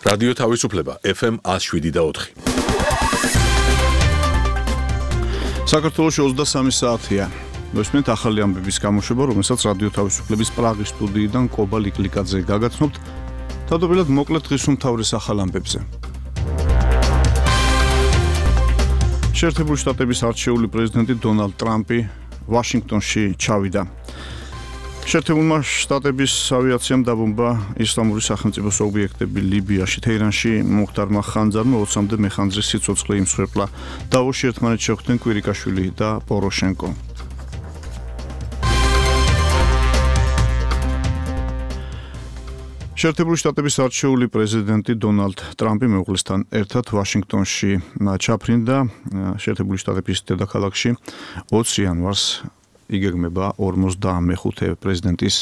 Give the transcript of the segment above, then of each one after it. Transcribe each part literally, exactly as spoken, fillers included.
რადიო თავისუფლება ეფ ემ one oh seven და four. საქართველოში ოცდასამი საათია. მოსმენთ ახალი ამბების გამოშვება, რომელსაც რადიო თავისუფლების პრაღის სტუდიიდან კობა ლიკლიკაძე გაგაცნობთ. თავდაპირველად მოკლედ დღის უმთავრეს ახალ ამბებზე. შეერთებული შტატების არჩეული პრეზიდენტი დონალდ ტრამპი ვაშინგტონში ჩავიდა. შეერთებულმა შტატების ავიაციამ დაბომბა ისლამური სახელმწიფოს ობიექტები ლიბიაში, თეირანში მუხტარმა ხანძარმა ოცამდე მეხანძრის სიცოცხლე იმსხვერპლა. დავოში ერთმანეთს შეხვდნენ კვირიკაშვილი და პოროშენკო. შეერთებული შტატების არჩეული პრეზიდენტი დონალდ ტრამპი მეუღლესთან ერთად ვაშინგტონში ჩაფრინდა. შეერთებული შტატების დედაქალაქში ოცი იანვარს იგეგმება ორმოცდამეხუთე პრეზიდენტის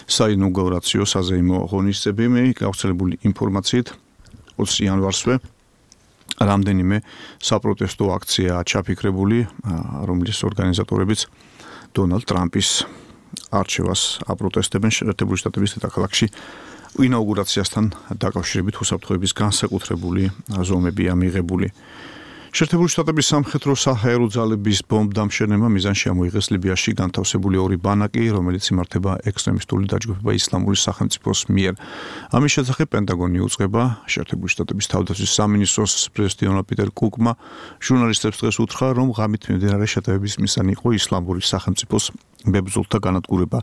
საინაუგურაციო საზეიმო ღონისძიებები. გავრცელებული ინფორმაციით ოცი იანვარსვე რამდენიმე საპროტესტო აქციაა ჩაფიქრებული, რომლის ორგანიზატორებიც დონალდ ტრამპის არჩევას აპროტესტებენ. შეერთებული შტატების დედაქალაქში ინაუგურაციასთან დაკავშირებით უსაფრთხოების განსაკუთრებული ზომებია მიღებული. შეერთებული შტატების სამხედრო საჰაერო ძალების ბომბდამშენებმა მიზანში ამოიღეს ლიბიაში განთავსებული ორი ბანაკი, რომელიც იმართება ექსტრემისტული დაჯგუფება ისლამური სახელმწიფოს მიერ. ამის შესახებ პენტაგონი უწყება. შეერთებული შტატების თავდაცვის სამინისტროს პრეზიდენტმა პიტერ კუკმა ჟურნალისტებს დღეს უთხრა, რომ ღამით მიმდინარე შეტევების მიზანი იყო ისლამური სახელმწიფოს მებრძოლთა განადგურება,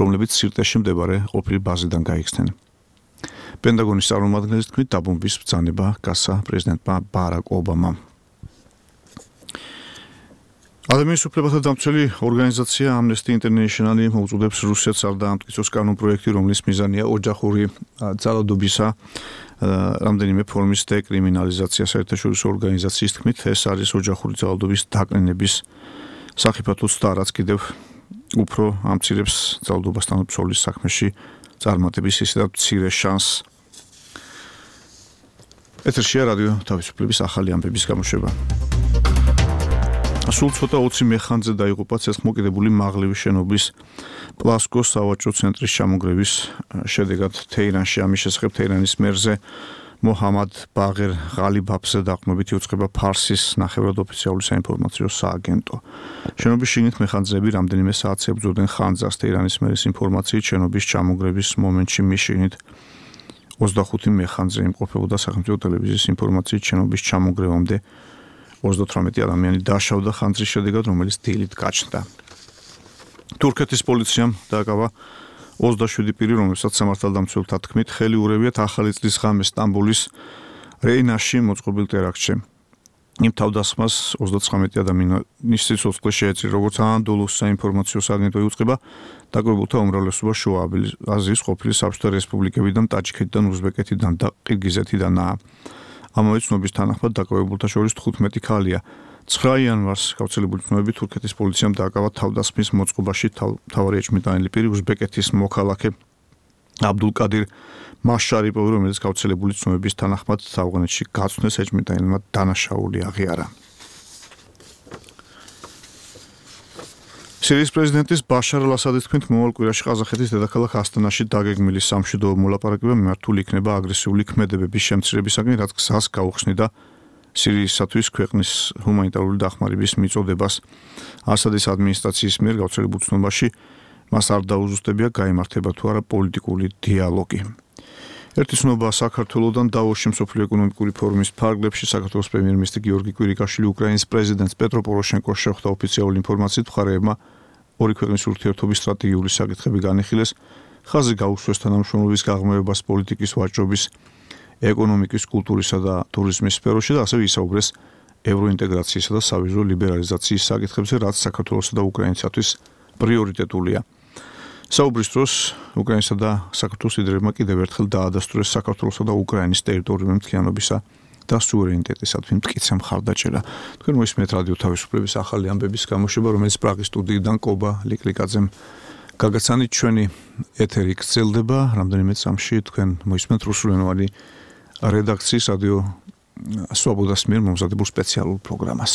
რომლებიც სირტეში მდებარე ყოფილი ბაზიდან გაიქცნენ. პენტაგონის წარმომადგენლის თქმით, დაბომბვის ბრძანება გასცა პრეზიდენტმა ბარაკ ობამამ. ადამიანის უფლებათა დამცველი ორგანიზაცია Amnesty International მოუწოდებს რუსეთს არ დაამტკიცოს კანონპროექტი, რომლის მიზანია ოჯახური ძალადობისა რამდენიმე ფორმის დეკრიმინალიზაცია. საერთაშორისო ორგანიზაციის თქმით, ეს არის ოჯახური ძალადობის დაკნინების სახიფათოც და რაც კიდევ უფრო ამცირებს ძალადობასთან ბრძოლის საქმეში წარმატების ისედაც მცირე შანსს. ეთერშია რადიო თავისუფლების ახალი ამბების გამოშვება. სულ ცოტა ოცი მეხანძე დაიღუპა ცეცხლმოკიდებული მაღლივი შენობის პლასკოს სავაჭრო ცენტრის ჩამონგრევის შედეგად თეირანში. ამის შესახებ თეირანის მერზე მოჰამად ბაღერ ღალიბაფზე დაყრდნობით იუწყება ფარსის ნახევრად ოფიციალური საინფორმაციო სააგენტო. შენობის შიგნით მეხანძეები რამდენიმე საათს ებრძოდნენ ხანძარს. თეირანის მერის ინფორმაციით შენობის ჩამონგრევის მომენტში მის შიგნით ოცდახუთი მეხანძე იმყოფებოდა. სახელმწიფო ტელევიზიის ინფორმაციით შენობის ჩამონგრევამდე ოცდათვრამეტი ადამიანი დაშავდა ხანძრის შედეგად, რომელიც დილით გაჩნდა. თურქეთის პოლიციამ დააკავა ოცდაშვიდი პირი, რომელსაც სამართალდამცველთა თქმით ხელი ურევიათ ახალი წლის ღამეს სტამბოლის რეინაში მოწყობილ ტერაქტში. იმ თავდასხმას ოცდაცხრამეტი ადამიანის სიცოცხლე შეეწირა, როგორც ანადოლუს საინფორმაციო სააგენტო იუწყება. დაკვირვებულთა უმრავლესობა შუა აზიის ყოფილი საბჭოთა რესპუბლიკებიდან, ტაჯიკეთიდან, უზბეკეთიდან და ყირგიზეთიდანაა. ამავე ცნობის თანახმად დაკვირვებულთა შორის თხუთმეტი ქალია. ცხრა იანვარს გავრცელებული ცნობებით თურქეთის პოლიციამ დააკავა თავდასხმის მოწყობაში მთავარი ეჭვმიტანილი პირი უზბეკეთის მოქალაქე აბდულკადირ მაშარიპოვი, რომელიც გავრცელებული ცნობების თანახმად ავღანეთში გაწვდეს ეჭვმიტანილმა დანაშაული აღიარა. სირიის პრეზიდენტის ბაშარ ალ-ასადის თქმით, მომავალ კვირაში ყაზახეთის დედაქალაქ ასტანაში დაგეგმილი სამშვიდობო მოლაპარაკება მიმართული იქნება აგრესიული ქმედებების შემცირებისაკენ, რაც გზას გაუხსნიდა სირიისათვის ქვეყნის ჰუმანიტარული დახმარების მიწოდებას. ასადის ადმინისტრაციის მიერ გავრცელებულ ცნობაში მას არ დაუზუსტებია გაიმართება თუ არა პოლიტიკური დიალოგი. ერთი ცნობა საქართველოდან დავოში მსოფლიო ეკონომიკური ფორუმის ფარგლებში საქართველოს პრემიერ-მინისტრი გიორგი კვირიკაშვილი უკრაინის პრეზიდენტს პეტრო პოროშენკოს შეხვდა. ოფიციალური ინფორმაციით მხარეებმა ორი ქვეყნის ურთიერთობის სტრატეგიული საკითხები განიხილეს. ხაზი გაუსვეს თანამშრომლობის გაღრმავებას პოლიტიკის ვაჭრობის, ეკონომიკის, კულტურისა და ტურიზმის სფეროში და ასევე ისაუბრეს ევროინტეგრაციისა და სავიზო ლიბერალიზაციის საკითხებზე, რაც საქართველოსა და უკრაინისათვის პრიორიტეტულია. საუბრის დროს უკრაინისა და საქართველოს ლიდერებმა კიდევ ერთხელ დაადასტურეს საქართველოსა და უკრაინის ტერიტორიული მთლიანობისა და სუვერენიტეტისადმი მტკიცე მხარდაჭერა. თქვენ მოისმენთ რადიო თავისუფლების ახალი ამბების გამოშვება, რომელიც პრაღის სტუდიიდან კობა ლიკლიკაძემ გაგაცანით. ჩვენი ეთერი გრძელდება. რამდენიმე წამში თქვენ მოისმენთ რუსულენოვანი რედაქციის რადიო სვაბოდას მიერ მომზადებულ სპეციალურ პროგრამას.